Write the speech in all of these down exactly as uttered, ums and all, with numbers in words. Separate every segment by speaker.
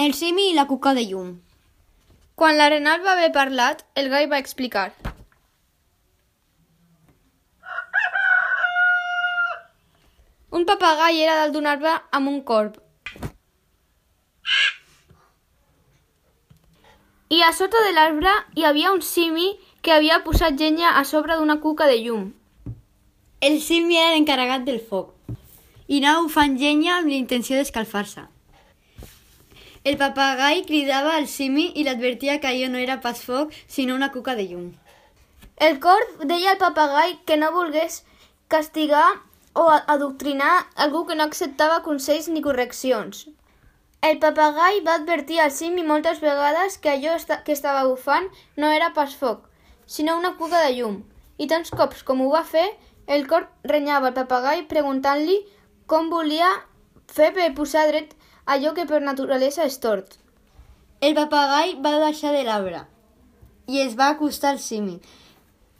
Speaker 1: El simi i la cuca de llum.
Speaker 2: Quan l'Arenal va haver parlat, el gall va explicar. Un papagai era dalt d'un arbre amb un corb. I a sota de l'arbre hi havia un simi que havia posat llenya a sobre d'una cuca de llum.
Speaker 1: El simi era l'encarregat del foc i anava bufant llenya amb l'intenció d'escalfar-se. El papagai cridava al simi i l'advertia que allò no era pas foc, sinó una cuca de llum.
Speaker 2: El corb deia al papagai que no volgués castigar o adoctrinar algú que no acceptava consells ni correccions. El papagai va advertir al simi moltes vegades que allò que estava bufant no era pas foc, sinó una cuca de llum, i tants cops com ho va fer, el corb renyava al papagai preguntant-li com volia fer per posar dret allò que per naturalesa és tort.
Speaker 1: El papagai va baixar de l'arbre i es va acostar al simi,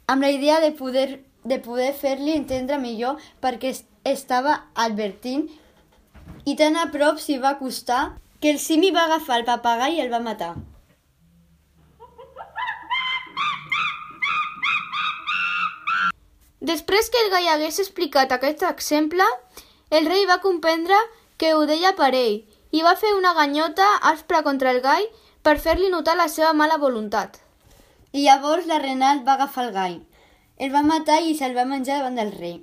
Speaker 1: amb la idea de poder, de poder fer-li entendre millor perquè estava advertint, i tan a prop s'hi va acostar que el simi va agafar el papagai i el va matar.
Speaker 2: Després que el gall hagués explicat aquest exemple, el rei va comprendre que ho deia per ell i va fer una ganyota aspra contra el gall per fer-li notar la seva mala voluntat.
Speaker 1: I llavors l'Arenal va agafar el gall, el va matar i se'l va menjar davant del rei.